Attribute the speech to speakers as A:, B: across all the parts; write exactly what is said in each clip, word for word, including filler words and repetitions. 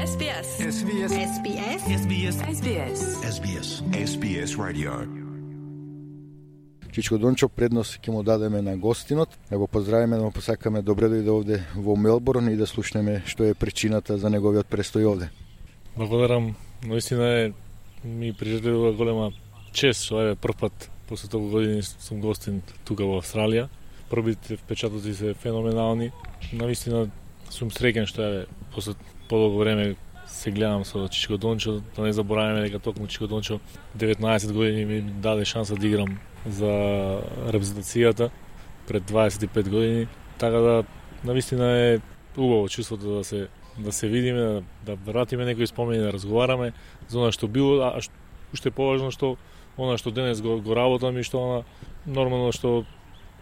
A: Ес Би Ес.
B: Ес Би Ес.
A: Ес Би Ес. Ес Би Ес. Ес Би Ес.
B: Ес Би Ес. Ес Би Ес Radio.
C: Чичко Дончо, предност ќе му дадеме на гостинот, да го поздравиме, да му посакаме добре дојде овде во Мелбурн и да слушнеме што е причината за неговиот престој овде.
D: Благодарам, наистина е ми приживува голема чест што е прв пат после толку години сум гостин тука во Австралија. Првите впечатоци се феноменални. Наистина сум среќен што е после подолго време се гледам со Чичко Дончо, да не забораваме дека токму Чичко Дончо деветнаесет години ми даде шанса да играм за репрезентацијата пред дваесет и пет години, така да навистина е убаво чувството да се да се видиме, да, да вратиме некои спомени, да разговараме за она што било, а уште поважно што она што денес го, го работам и што она нормално што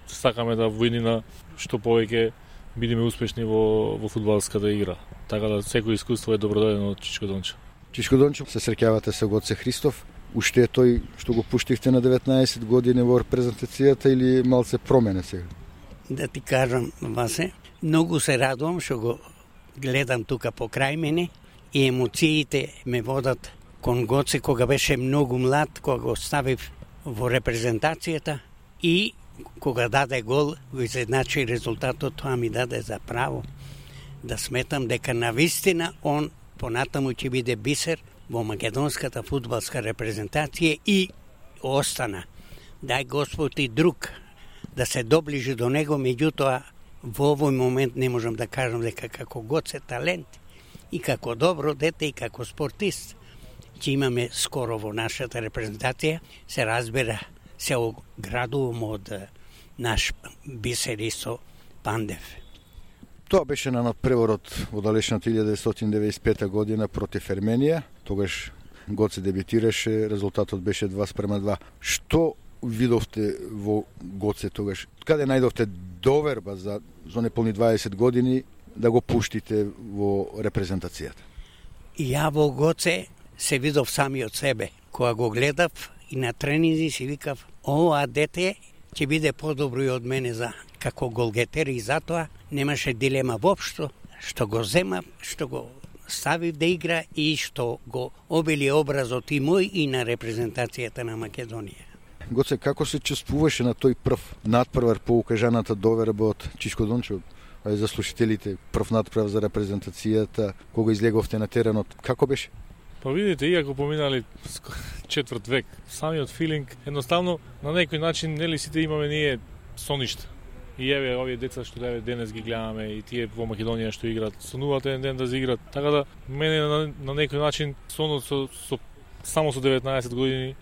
D: сакаме да во иднина што повеќе бидеме успешни во во фудбалската игра. Така да секој искуство е добродојдено од Чичко Дончо.
C: Чичко Дончо, се среќавате со Гоце Христов. Уште е тој што го пуштивте на деветнаесет години во репрезентацијата или малце промене сега?
E: Да ти кажам, Васе, многу се радувам што го гледам тука покрај мене и емоциите ме водат кон Гоце кога беше многу млад, кога го ставив во репрезентацијата и кога даде гол, го изедначи резултатот, тоа ми даде за право да сметам дека навистина он понатаму ќе биде бисер во македонската фудбалска репрезентација и остана. Дај Господ и друг да се доближи до него, меѓутоа во овој момент не можам да кажам дека како Гоце талент и како добро дете и како спортист ќе имаме скоро во нашата репрезентација, се разбира, се оградувам од наш бисер Исо Пандев.
C: Тоа беше на надпреворот во далечната илјада деветстотини деветдесет и пета година против Ерменија. Тогаш Гоце дебютираше, резултатот беше два спрема два. Што видовте во Гоце тогаш? Каде најдовте доверба за за неполни дваесет години да го пуштите во репрезентацијата?
E: Ја во Гоце се видов самиот себе. Кога го гледав и на тренинзи си викав, ова дете ќе биде подобро и од мене за како голгетер и затоа немаше дилема воопшто што го зема, што го ставив да игра и што го обили образот и мој и на репрезентацијата на Македонија.
C: Гоце, како се чувствуваше на тој прв надпревар по укажаната доверба од Чичко Дончо? Ај за слушателите, прв надпревар за репрезентацијата, кога излеговте на теренот, како беше?
D: Па видите, иако поминали четврт век, самиот филинг, едноставно на некој начин нели сите имаме ние соништа. И еве овие деца што еве денес ги гледаме и тие во Македонија што играат, сонуваат еден ден да заиграат. Така да мене на, на некој начин сонот со, со само со деветнаесет години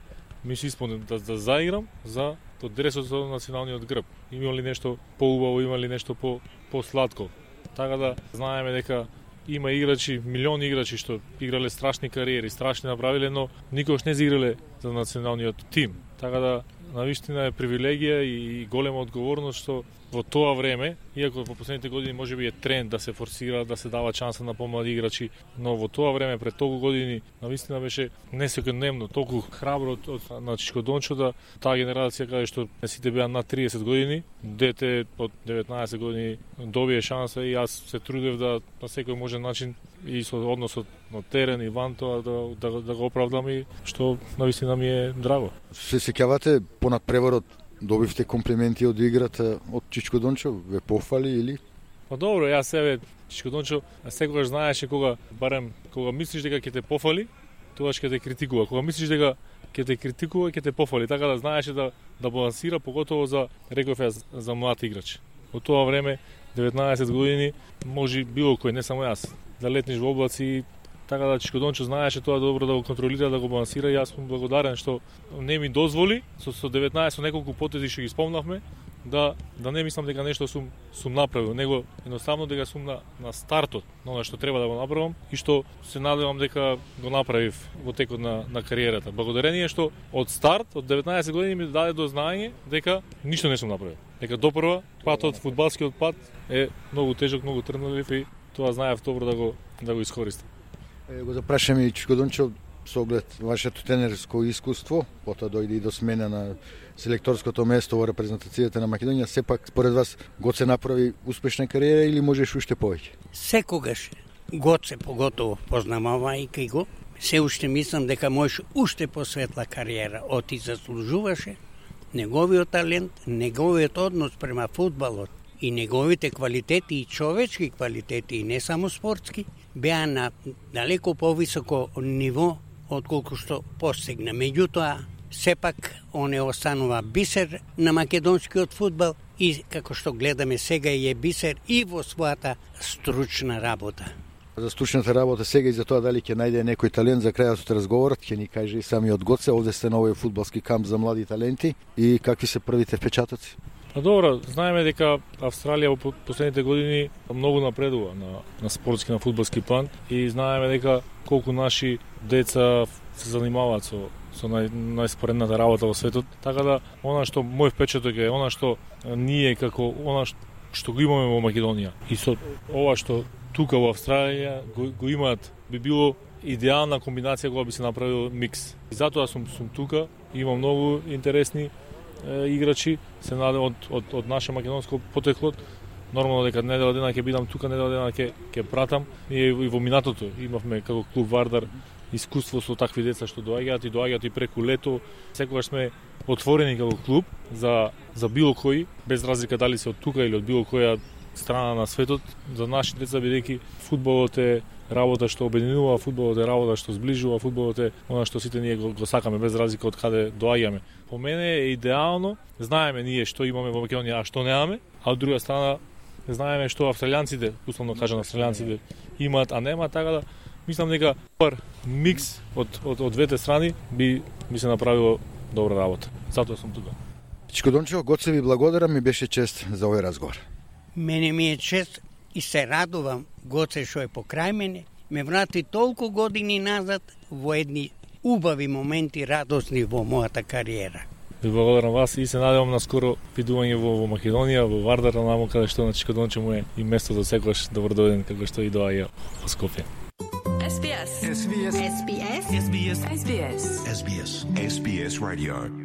D: ми се исполни да, да заиграм за то дресот со националниот грб. Има ли нешто поубаво, има ли нешто по посладко. Така да знаеме дека има играчи, милиони играчи што играле страшни кариери, страшни направиле, но никогаш не заиграле за националниот тим. Така да навистина е привилегија и голема одговорност што во тоа време, иако во последните години можеби е тренд да се форсира, да се дава шанса на помлади играчи, но во тоа време пред толку години навистина беше несекојдневно, толку храбро од, од на Чичко Дончо да таа генерација каде што сите беа над триесет години, дете од деветнаесет години добие шанса и јас се трудев да на секој можен начин и со односот на терен и ван тоа да, да, да го оправдам и што навистина ми е драго.
C: Се сеќавате по надпреворот добивте комплименти од играта од Чичко Дончо, ве пофали или?
D: Па добро, јас себе Чичко Дончо секогаш знаеше кога барем кога мислиш дека ќе те пофали, тогаш ќе те критикува. Кога мислиш дека ќе те критикува, ќе те пофали, така да знаеше да да балансира, поготово за реков ја за млад играч. Во тоа време деветнаесет години може било кој, не само јас, да летниш во облаци. Така да Чичко Дончо знаеше тоа добро да го контролира, да го балансира и јас сум благодарен што не ми дозволи со, со деветнаесет, со неколку потези што ги спомнавме, да да не мислам дека нешто сум сум направил, него едноставно дека сум на на стартот на она што треба да го направам и што се надевам дека го направив во текот на на кариерата. Благодарение што од старт од деветнаесет години ми даде до знаење дека ништо не сум направил. Дека допрва патот, фудбалскиот пат е многу тежок, многу трнлив и тоа знаев добро да го да го искористам.
C: Е, го запрашаме и Чичко Дончо со оглед вашето тренерско искуство, потоа дојде и до смена на селекторското место во репрезентацијата на Македонија. Сепак, според вас, Гоце направи успешна кариера или можеш уште повеќе?
E: Секогаш Гоце поготово познавајќи го, се уште мислам дека можеш уште посветла кариера. Оти заслужуваше неговиот талент, неговиот однос према фудбалот и неговите квалитети и човечки квалитети, и не само спортски, беа на далеко повисоко ниво отколку што постигна. Меѓутоа, сепак, он е останува бисер на македонскиот фудбал и, како што гледаме сега, е бисер и во својата стручна работа.
C: За стручната работа сега и за тоа дали ќе најде некој талент за крајот од разговорот, ќе ни каже и самиот Гоце. Овде сте на овој фудбалски камп за млади таленти и какви се првите впечатоци?
D: Па добро, знаеме дека Австралија во последните години многу напредува на, на спортски, на фудбалски план и знаеме дека колку наши деца се занимаваат со со нај, најспоредната работа во светот. Така да, она што мој впечаток е, она што ние како она што го имаме во Македонија и со ова што тука во Австралија го, го имаат, би било идеална комбинација кога би се направил микс. И затоа сум сум тука, има многу интересни е, играчи, се надевам од од од наше македонско потекло. Нормално дека недела дена ќе бидам тука, недела дена ќе ќе пратам. Ние и во минатото имавме како клуб Вардар искуство со такви деца што доаѓаат и доаѓаат и преку лето. Секогаш сме отворени како клуб за за било кој, без разлика дали се од тука или од било која страна на светот, за нашите деца, бидејќи фудбалот е работа што обединува, фудбалот е работа што зближува, фудбалот е она што сите ние го, го сакаме без разлика од каде доаѓаме. По мене е идеално, знаеме ние што имаме во Македонија, а што немаме, а од друга страна знаеме што австралијанците, условно кажам австралијанците имаат, а нема, така да мислам дека пар микс од од од двете страни би би се направило добра работа. Затоа сум тука.
C: Чичко Дончево, Гоце ви благодарам, ми беше чест за овој разговор.
E: Мене ми е чест и се радувам Гоце што е покрај мене, ме врати толку години назад во едни убави моменти, радосни во мојата кариера.
D: Ви благодарам вас и се надевам на скоро видување во, во Македонија, во Вардар, наму каде што на Чичко Дончево е и место за секогаш добро дојден како што и доаѓа во Скопје.
A: S B S.
B: S B S.
A: S B S. S B S.
B: S B S. S B S Radio.